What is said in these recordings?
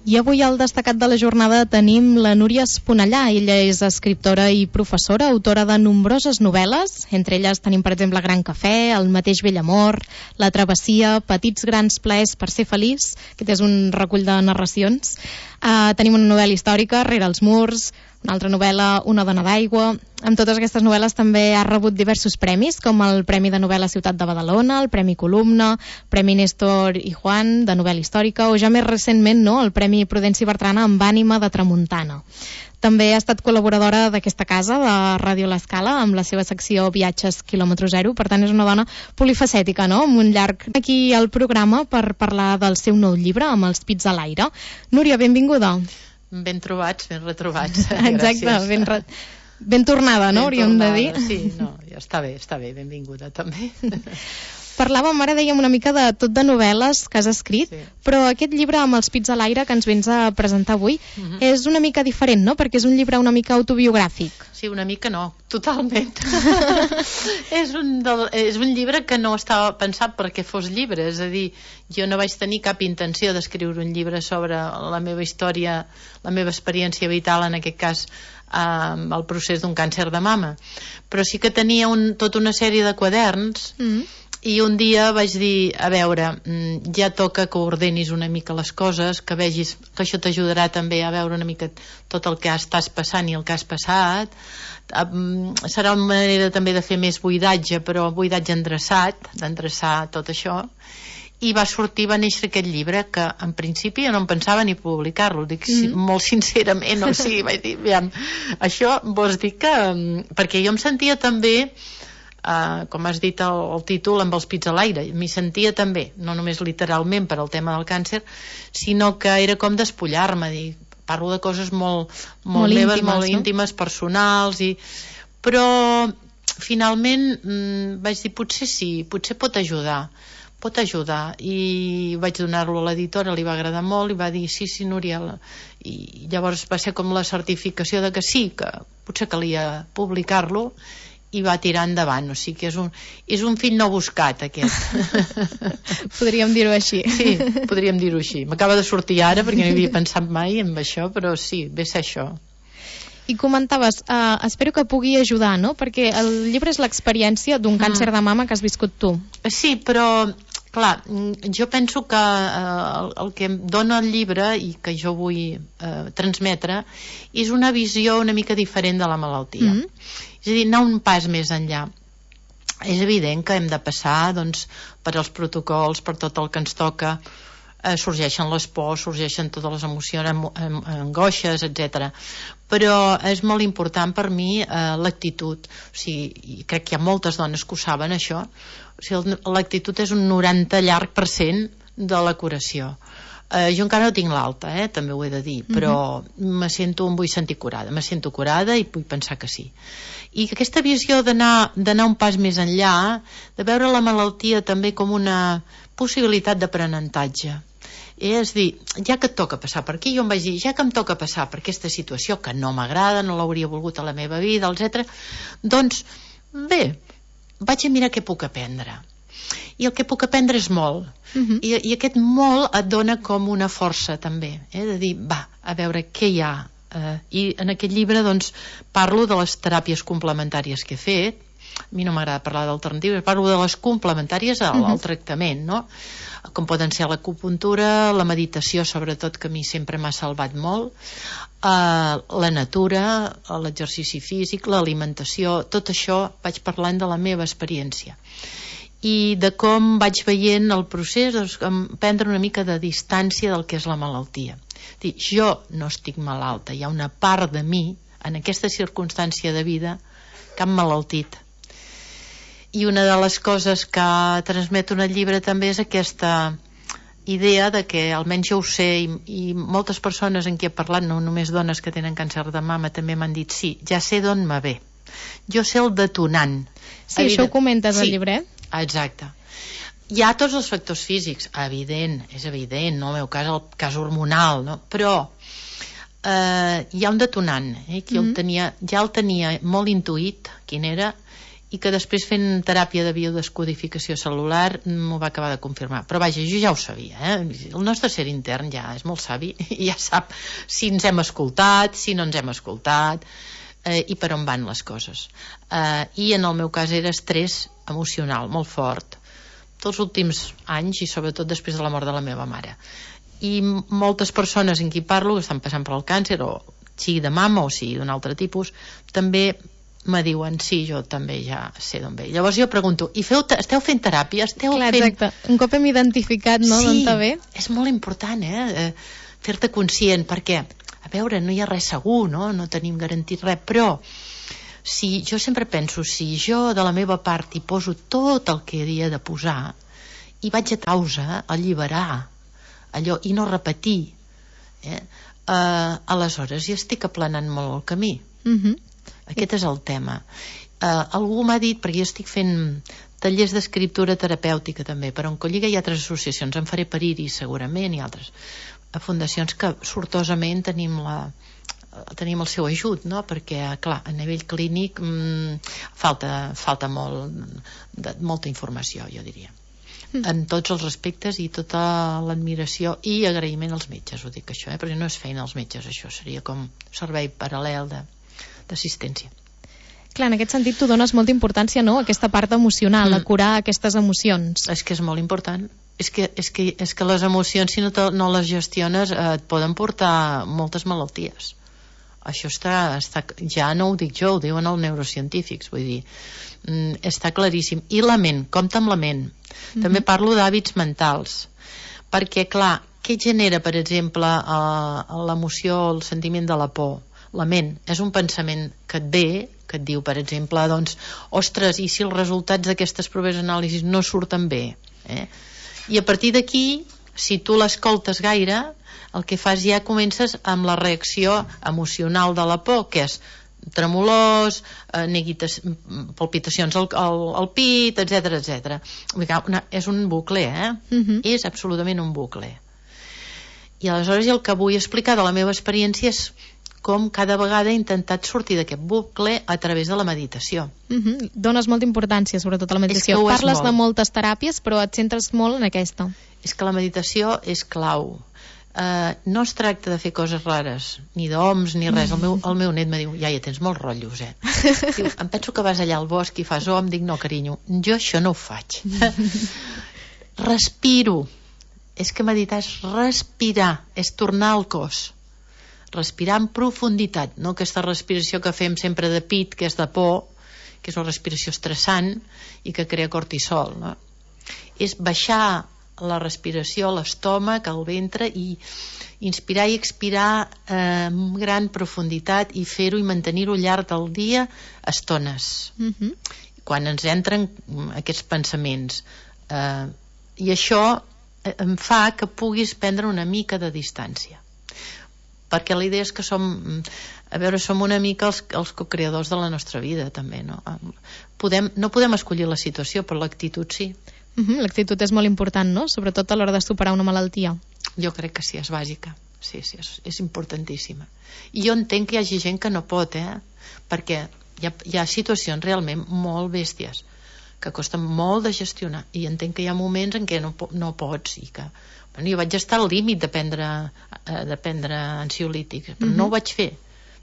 I avui al destacat de la jornada tenim la Núria Esponellà. Ella és escriptora i professora, autora de nombroses novel·les. Entre elles tenim, per exemple, Gran Cafè, El mateix vell amor, La travessia, Petits grans plaers per ser feliç. Aquest és un recull de narracions. Tenim una novel·la històrica, Rere els murs, una altra novel·la, Una dona d'aigua. Amb totes aquestes novel·les també ha rebut diversos premis, com el Premi de Novel·la Ciutat de Badalona, el Premi Columna, Premi Néstor i Juan de novel·la històrica, o ja més recentment, no?, el Premi Prudenci Bertrana amb Ànima de Tramuntana. També ha estat col·laboradora d'aquesta casa, de Ràdio L'Escala, amb la seva secció Viatges quilòmetre zero. Per tant, és una dona polifacètica, no?, amb un llarg aquí al programa per parlar del seu nou llibre, Amb els pits a l'aire. Núria, benvinguda. Ben trobats, ben retrobats. Exacte, ben tornada, no?, hauríem de dir. Sí, no, ja està bé, benvinguda també. Parlàvem, ara dèiem una mica de tot de novel·les que has escrit, sí. Però aquest llibre Amb els pits a l'aire que ens vens a presentar avui és una mica diferent, no?, perquè és un llibre una mica autobiogràfic. Sí, una mica no, totalment. És un llibre que no estava pensat perquè fos llibre, és a dir, jo no vaig tenir cap intenció d'escriure un llibre sobre la meva història, la meva experiència vital, en aquest cas el procés d'un càncer de mama, però sí que tenia tota una sèrie de quaderns. I un dia vaig dir, a veure, ja toca que ordenis una mica les coses, que vegis que això t'ajudarà també a veure una mica tot el que estàs passant i el que has passat. Serà una manera també de fer més buidatge, però buidatge endreçat, d'endreçar tot això. I va néixer aquest llibre, que en principi jo no em pensava ni publicar-lo, dic molt sincerament, o sigui, vaig dir, aviam, això vols dir que... Perquè jo em sentia també... com has dit el títol, Amb els pits a l'aire, m'hi sentia també, no només literalment per al tema del càncer, sinó que era com despullar-me, parlo de coses molt meves, íntimes, molt íntimes, personals, però finalment vaig dir, potser sí, potser pot ajudar, i vaig donar-lo a l'editora, li va agradar molt i va dir, sí Núria, i llavors va ser com la certificació de que sí, que potser calia publicar-lo, i va tirar endavant, o sigui que és un fill no buscat, aquest. Podríem dir-ho així. Sí, podríem dir-ho així. M'acaba de sortir ara, perquè no hi havia pensat mai en això, però sí, ve ser això. I comentaves, espero que pugui ajudar, no?, perquè el llibre és l'experiència d'un càncer de mama que has viscut tu. Sí, però, clar, jo penso que el que em dona el llibre i que jo vull transmetre és una visió una mica diferent de la malaltia. És a dir, anar un pas més enllà. És evident que hem de passar, doncs, per als protocols, per tot el que ens toca, sorgeixen les pors, sorgeixen totes les emocions, angoixes, etc. Però és molt important per mi l'actitud. O sigui, crec que hi ha moltes dones que ho saben, això. O sigui, l'actitud és un 90% de la curació. Jo encara no tinc l'alta, també ho he de dir, però em vull sentir curada, me sento curada i vull pensar que sí. I aquesta visió d'anar un pas més enllà, de veure la malaltia també com una possibilitat d'aprenentatge. És dir, ja que et toca passar per aquí, jo em vaig dir, ja que em toca passar per aquesta situació que no m'agrada, no l'hauria volgut a la meva vida, etc., doncs, bé, vaig a mirar què puc aprendre. I el que puc aprendre és molt. I aquest molt et dona com una força també, de dir, va, a veure què hi ha. I en aquest llibre doncs parlo de les teràpies complementàries que he fet. A mi no m'agrada parlar d'alternatives, parlo de les complementàries al tractament, no? Com poden ser l'acupuntura, la meditació, sobretot, que a mi sempre m'ha salvat molt, la natura, l'exercici físic, l'alimentació, tot això vaig parlant de la meva experiència i de com vaig veient el procés, doncs, prendre una mica de distància del que és la malaltia. Dir, jo no estic malalta, hi ha una part de mi en aquesta circumstància de vida que ha malaltit. I una de les coses que transmeto en el llibre també és aquesta idea de que, almenys jo ho sé, i moltes persones en qui he parlat, no només dones que tenen càncer de mama, també m'han dit, sí, ja sé d'on me ve, jo sé el detonant. Sí, això ho comentes al llibre, Exacte. Hi ha tots els factors físics, és evident, no? En el meu cas, el cas hormonal, no? Però hi ha un detonant, que ja el tenia molt intuït, quin era, i que després fent teràpia de biodescodificació celular m'ho va acabar de confirmar. Però vaja, jo ja ho sabia, el nostre ser intern ja és molt savi i ja sap si ens hem escoltat, si no ens hem escoltat, i per on van les coses. I en el meu cas era estrès emocional molt fort tots els últims anys i sobretot després de la mort de la meva mare. I moltes persones en qui parlo que estan passant per el càncer, o sigui de mama o sigui d'un altre tipus, també me diuen, sí, jo també ja sé d'on ve. Llavors jo pregunto, i esteu fent teràpia? Clar, exacte. Un cop hem identificat, no, d'on te ve? Sí, és molt important, fer-te conscient, perquè, a veure, no hi ha res segur, no tenim garantit res, però jo sempre penso, si jo de la meva part hi poso tot el que havia de posar, i vaig a causa, a alliberar allò, i no repetir, aleshores ja estic aplanant molt el camí. Aquest és el tema. Algú m'ha dit, perquè jo estic fent tallers d'escriptura terapèutica també, per Oncolliga hi ha altres associacions, en faré per Iris segurament i altres fundacions que sortosament tenim el seu ajut, no? Perquè clar, a nivell clínic falta molta informació, jo diria, en tots els aspectes, i tota l'admiració i agraïment als metges, ho dic això, perquè no és feina als metges, això seria com servei paral·lel d'assistència. Clar, en aquest sentit tu dones molta importància, no?, a aquesta part emocional, a curar aquestes emocions. És que és molt important. És que les emocions, si no les gestiones, et poden portar moltes malalties. Això ja no ho dic jo, ho diuen els neurocientífics, vull dir, està claríssim. I la ment, compta amb la ment. També parlo d'hàbits mentals, perquè clar, què genera, per exemple, l'emoció, el sentiment de la por? La ment és un pensament que et ve, que et diu, per exemple, doncs, ostres, i si els resultats d'aquestes proves d'anàlisis no surten bé? I a partir d'aquí, si tu l'escoltes gaire, el que fas ja comences amb la reacció emocional de la por, que és tremolors, palpitacions al pit, etc. És un bucle, és absolutament un bucle. I aleshores el que vull explicar de la meva experiència és com cada vegada he intentat sortir d'aquest bucle a través de la meditació. Dones molta importància, sobretot a la meditació. Parles de moltes teràpies, però et centres molt en aquesta. És que la meditació és clau. No es tracta de fer coses rares, ni d'oms, ni res. El meu net me diu, iaia, tens molts rotllos, Diu, em penso que vas allà al bosc i fas om. Dic, no, carinyo, jo això no ho faig. Respiro. És que meditar és respirar, és tornar al cos. Respirar en profunditat, no aquesta respiració que fem sempre de pit, que és de por, que és una respiració estressant i que crea cortisol, no? És baixar la respiració a l'estómac, al ventre, i inspirar i expirar amb gran profunditat, i fer-ho i mantenir-ho al llarg del dia estones. Quan ens entren aquests pensaments. I això em fa que puguis prendre una mica de distància. Perquè la idea és que som una mica els co-creadors de la nostra vida, també, no? No podem escollir la situació, però l'actitud sí. L'actitud és molt important, no? Sobretot a l'hora de superar una malaltia. Jo crec que sí, és bàsica. Sí, és importantíssima. I jo entenc que hi hagi gent que no pot, perquè hi ha situacions realment molt bèsties, que costen molt de gestionar, i entenc que hi ha moments en què no pots, i que jo vaig estar al límit de prendre ansiolítics, però no ho vaig fer.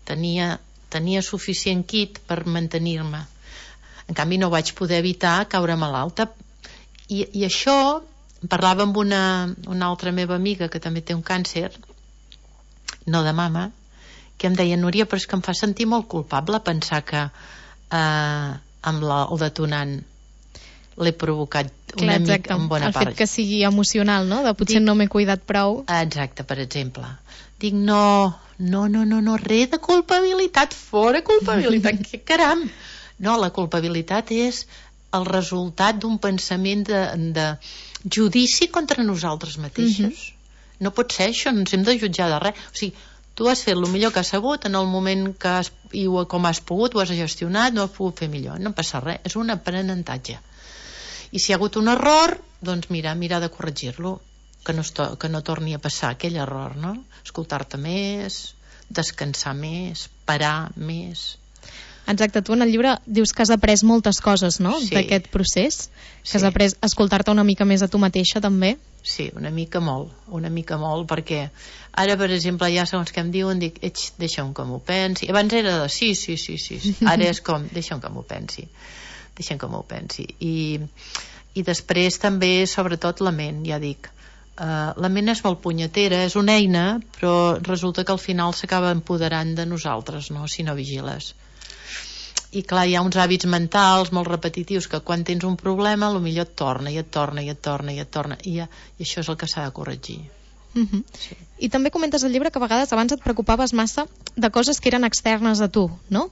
Tenia suficient kit per mantenir-me. En canvi no vaig poder evitar caure malalta. I això, parlava amb una altra meva amiga que també té un càncer, no de mama, que em deia, Núria, però és que em fa sentir molt culpable pensar que amb el detonant l'he provocat una mica en bona part. El fet que sigui emocional, no? De potser no m'he cuidat prou. Exacte, per exemple. Dic, no, res de culpabilitat, fora culpabilitat, que caram! No, la culpabilitat és el resultat d'un pensament de judici contra nosaltres mateixos. No pot ser això, no ens hem de jutjar de res. O sigui, tu has fet el millor que has sabut en el moment i com has pogut, ho has gestionat, no has pogut fer millor, no passa res, és un aprenentatge. I si hi ha hagut un error, doncs mirar de corregir-lo, que no torni a passar aquell error, no? Escoltar-te més, descansar més, parar més. Exacte, tu en el llibre dius que has après moltes coses, no?, sí. d'aquest procés, que has après a escoltar-te una mica més a tu mateixa, també. Sí, una mica molt, perquè ara, per exemple, ja segons que em diuen, dic, deixa'm que m'ho pensi. Abans era de sí. Ara és com, deixa'm que m'ho pensi. I després també, sobretot, la ment, ja dic. La ment és molt punyetera, és una eina, però resulta que al final s'acaba empoderant de nosaltres, no?, si no vigiles. I clar, hi ha uns hàbits mentals molt repetitius que quan tens un problema potser et torna i això és el que s'ha de corregir. Sí. I també comentes al llibre que a vegades abans et preocupaves massa de coses que eren externes a tu, no?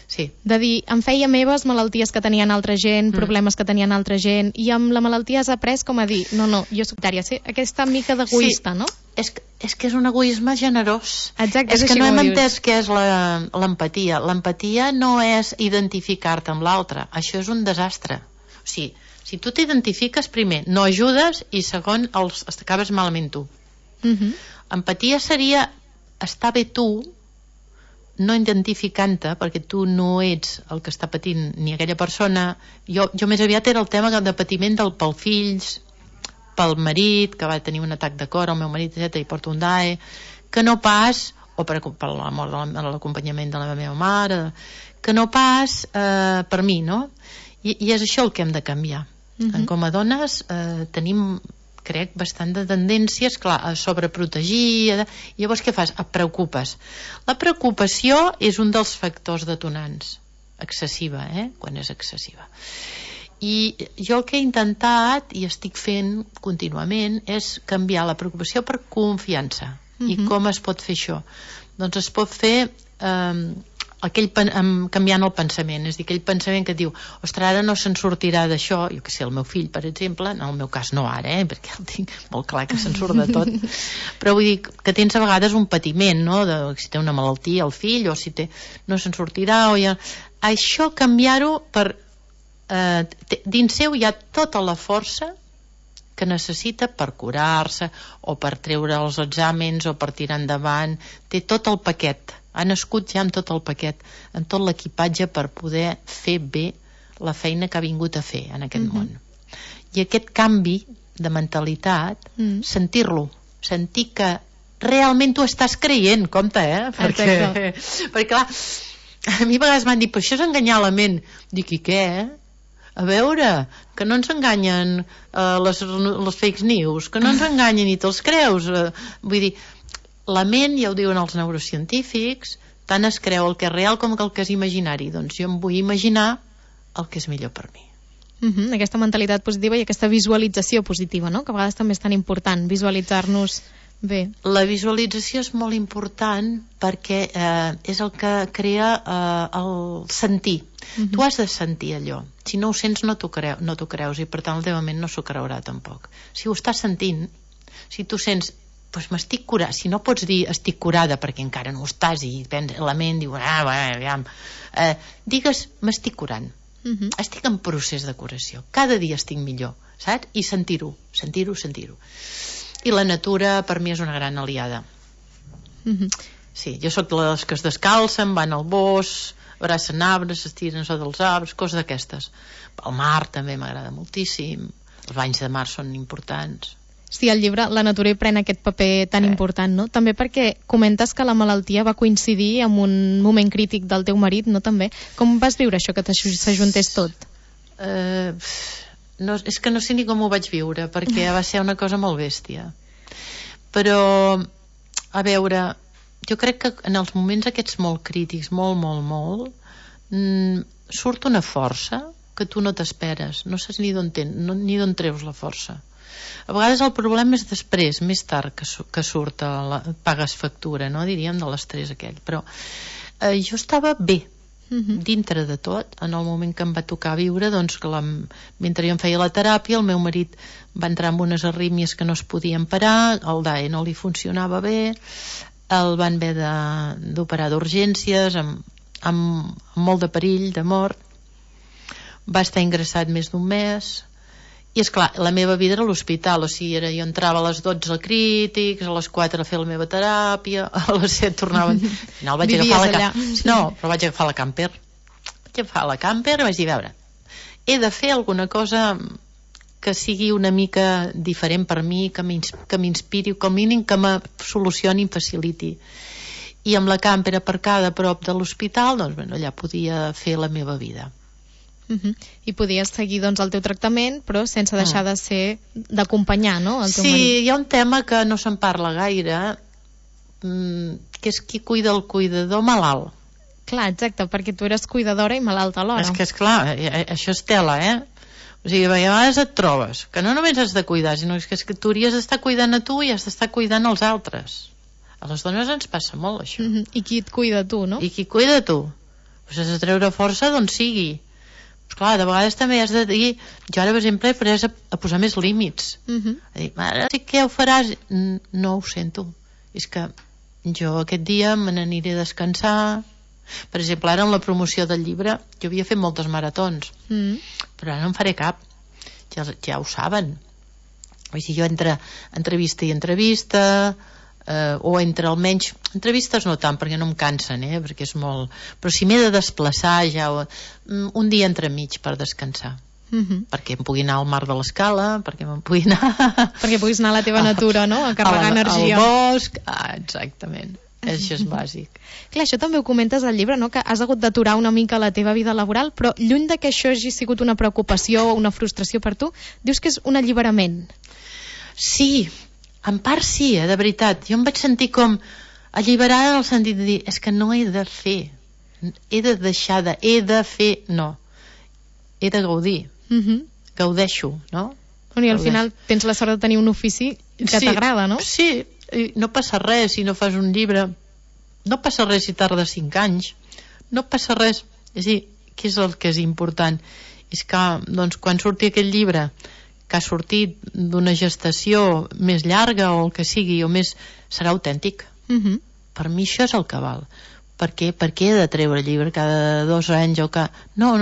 Sí. De dir, em feia meves malalties que tenien altra gent, problemes que tenien altra gent, i amb la malaltia has après com a dir, no, jo soc tària, sí? Aquesta mica d'egoista, no? És que és un egoisme generós. Exacte, és que no hem entès què és l'empatia. L'empatia no és identificar-te amb l'altre, això és un desastre. O sigui, si tu t'identifiques, primer, no ajudes, i segon, acabes malament tu. Empatia seria estar bé tu, no identificant-te, perquè tu no ets el que està patint ni aquella persona. Jo més aviat era el tema de patiment pel fills, pel marit, que va tenir un atac de cor, el meu marit, i porta un DAE, que no pas, o per la mort de l'acompanyament de la meva mare, que no pas per mi, no? I és això el que hem de canviar. Com a dones tenim, crec, bastant de tendències, clar, a sobreprotegir. Llavors què fas? Et preocupes. La preocupació és un dels factors detonants. Excessiva, quan és excessiva. I jo el que he intentat i estic fent contínuament és canviar la preocupació per confiança. I com es pot fer això? Doncs es pot fer canviant el pensament, és a dir, aquell pensament que et diu, ostres, ara no se'n sortirà d'això, jo que sé, el meu fill, per exemple, en el meu cas no ara, perquè el tinc molt clar que se'n surt de tot, però vull dir que tens a vegades un patiment, no?, si té una malaltia el fill, o si no se'n sortirà, això canviar-ho per dins seu hi ha tota la força que necessita per curar-se o per treure els exàmens o per tirar endavant, té tot el paquet, ha nascut ja amb tot el paquet, amb tot l'equipatge per poder fer bé la feina que ha vingut a fer en aquest món. I aquest canvi de mentalitat, sentir-lo, sentir que realment tu estàs creient, compte, perquè clar, a mi a vegades m'han dit, però això és enganyar la ment. Dic, i què, A veure, que no ens enganyen les fake news, que no ens enganyen i te'ls creus. Vull dir, la ment, ja ho diuen els neurocientífics, tant es creu el que és real com el que és imaginari. Doncs jo em vull imaginar el que és millor per mi. Aquesta mentalitat positiva i aquesta visualització positiva, no?, que a vegades també és tan important, visualitzar-nos bé. La visualització és molt important perquè és el que crea el sentir. Tu has de sentir allò. Si no ho sents no t'ho creus i per tant el teu ment no s'ho creurà tampoc. Si ho estàs sentint, si tu sents, doncs m'estic curada, si no pots dir estic curada perquè encara no ho estàs i la ment diu, digues m'estic curant. Estic en procés de curació, cada dia estic millor, saps? I sentir-ho. I la natura per mi és una gran aliada. Sí, jo sóc de les que es descalcen, van al bosc, abracen arbres, s'estiren sota els arbres, coses d'aquestes. El mar també m'agrada moltíssim, els banys de mar són importants. Sí, al llibre la natura hi pren aquest paper tan important, no? També perquè comentes que la malaltia va coincidir amb un moment crític del teu marit, no? També. Com vas viure això, que s'ajuntés tot? És que no sé ni com ho vaig viure, perquè va ser una cosa molt bèstia. Però, a veure, jo crec que en els moments aquests molt crítics, molt, surt una força que tu no t'esperes, no saps ni d'on treus la força. A vegades el problema és després, més tard que surt, pagues factura, no? Diríem, de l'estrès aquell. Però jo estava bé, dintre de tot, en el moment que em va tocar viure, doncs, mentre jo em feia la teràpia, el meu marit va entrar en unes arrítmies que no es podien parar, el DAE no li funcionava bé, el van haver d'operar d'urgències, amb molt de perill, de mort, va estar ingressat més d'un mes. I és clar, la meva vida era a l'hospital, o sigui, jo entrava a les 12 a crítics, a les 4 a fer la meva teràpia, a les 7 tornava... Al final vaig agafar la camper, què fa la camper? Vaig dir, a veure, he de fer alguna cosa que sigui una mica diferent per mi, que m'inspiri, com a mínim que me solucioni i em faciliti. I amb la camper aparcada a prop de l'hospital, doncs bueno, allà podia fer la meva vida. I podies seguir doncs el teu tractament, però sense deixar de ser d'acompanyar, no? El teu marit. Sí, hi ha un tema que no se'n parla gaire, que és qui cuida el cuidador malalt. Clar, exacte, perquè tu eres cuidadora i malalta alhora. És que, esclar, això és tela, O sigui, a vegades et trobes que no només has de cuidar, sinó que és que tu hauries d'estar cuidant a tu i has d'estar cuidant als altres. A les dones ens passa molt, això. I qui et cuida tu, no? I qui cuida tu? Pues has de treure força d'on sigui. Pues clar, de vegades també has de dir... Jo ara, per exemple, he pres a posar més límits. A dir, mare, sí que ho faràs? No ho sento. És que jo aquest dia me n'aniré a descansar. Per exemple, ara en la promoció del llibre jo havia fet moltes maratons, però ara no en faré cap. Ja ho saben. Vull dir, jo entre entrevista i entrevista, o entre almenys entrevistes no tant, perquè no em cansen, perquè és molt... Però si m'he de desplaçar ja un dia entremig per descansar, perquè em pugui anar al mar de l'Escala, perquè me'n pugui anar... Perquè puguis anar a la teva natura, no? A carregar energia. Al bosc, exactament. Això és bàsic. Clar, això també ho comentes al llibre, no? Que has hagut d'aturar una mica la teva vida laboral, però lluny de que això hagi sigut una preocupació o una frustració per tu, dius que és un alliberament. Sí, en part sí, de veritat. Jo em vaig sentir com alliberada en el sentit de dir, és que no he de fer, he de deixar de, he de fer, no. He de gaudir. Gaudeixo, no? I al final tens la sort de tenir un ofici que t'agrada, no? Sí, no passa res si no fas un llibre, no passa res si tardes 5 anys, no passa res. És a dir, què és el que és important? És que, doncs, quan surti aquest llibre, que ha sortit d'una gestació més llarga o el que sigui, o més, serà autèntic. Per mi això és el que val. Per què he de treure llibre cada 2 anys o que... No.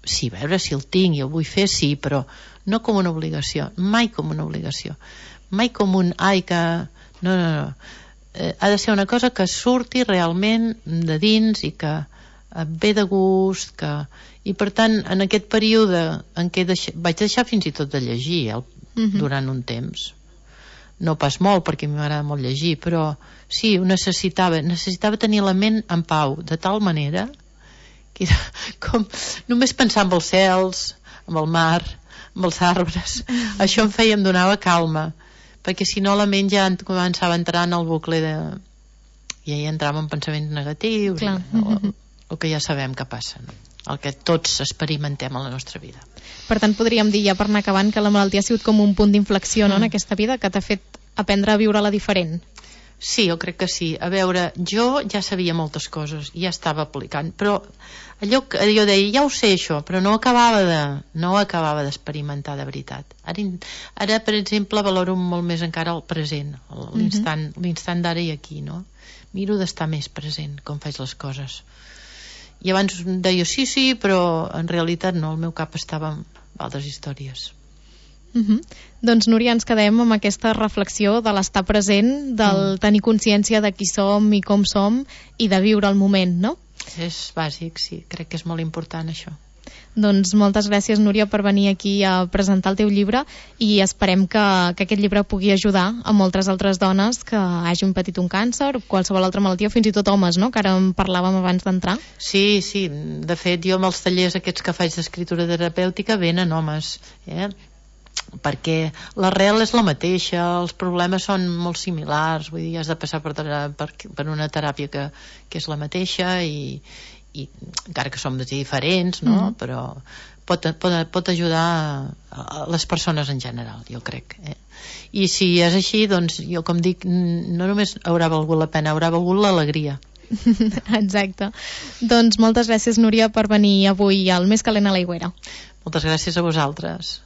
Sí, a veure si el tinc i el vull fer, sí, però no com una obligació, mai com una obligació, mai com un que... No. Ha de ser una cosa que surti realment de dins i que ve de gust, i per tant en aquest període en què vaig deixar fins i tot de llegir durant un temps, no pas molt perquè m'agrada molt llegir, però sí, ho necessitava tenir la ment en pau, de tal manera que era com només pensar en els cels, en el mar, en els arbres. Això em donava calma, perquè si no la ment ja començava a entrar en el bucle i ja entrava en pensaments negatius, el que ja sabem que passa, no? El que tots experimentem a la nostra vida. Per tant, podríem dir, ja per anar acabant, que la malaltia ha sigut com un punt d'inflexió, no, en aquesta vida, que t'ha fet aprendre a viure-la diferent. Sí, jo crec que sí. A veure, jo ja sabia moltes coses, ja estava aplicant, però allò que jo deia, ja ho sé això, però no acabava d'experimentar de veritat. Ara, per exemple, valoro molt més encara el present, l'instant d'ara i aquí, no? Miro d'estar més present com faig les coses. I abans deia sí, però en realitat no, el meu cap estava en altres històries. Doncs Núria, ens quedem amb aquesta reflexió de l'estar present, del tenir consciència de qui som i com som i de viure el moment, no? És bàsic, sí, crec que és molt important això. Doncs moltes gràcies, Núria, per venir aquí a presentar el teu llibre i esperem que aquest llibre pugui ajudar a moltes altres dones que hagin patit un càncer o qualsevol altra malaltia, o fins i tot homes, no?, que ara en parlàvem abans d'entrar. Sí, de fet jo amb els tallers aquests que faig d'escriptura terapèutica venen homes, perquè l'arrel és la mateixa, els problemes són molt similars, vull dir, has de passar per una teràpia que és la mateixa i encara que som diferents, no? Però pot ajudar a les persones en general, jo crec. I si és així, doncs jo com dic, no només haurà valgut la pena, haurà valgut l'alegria. Exacte. Doncs moltes gràcies, Núria, per venir avui al Més calent a l'aigüera. Moltes gràcies a vosaltres.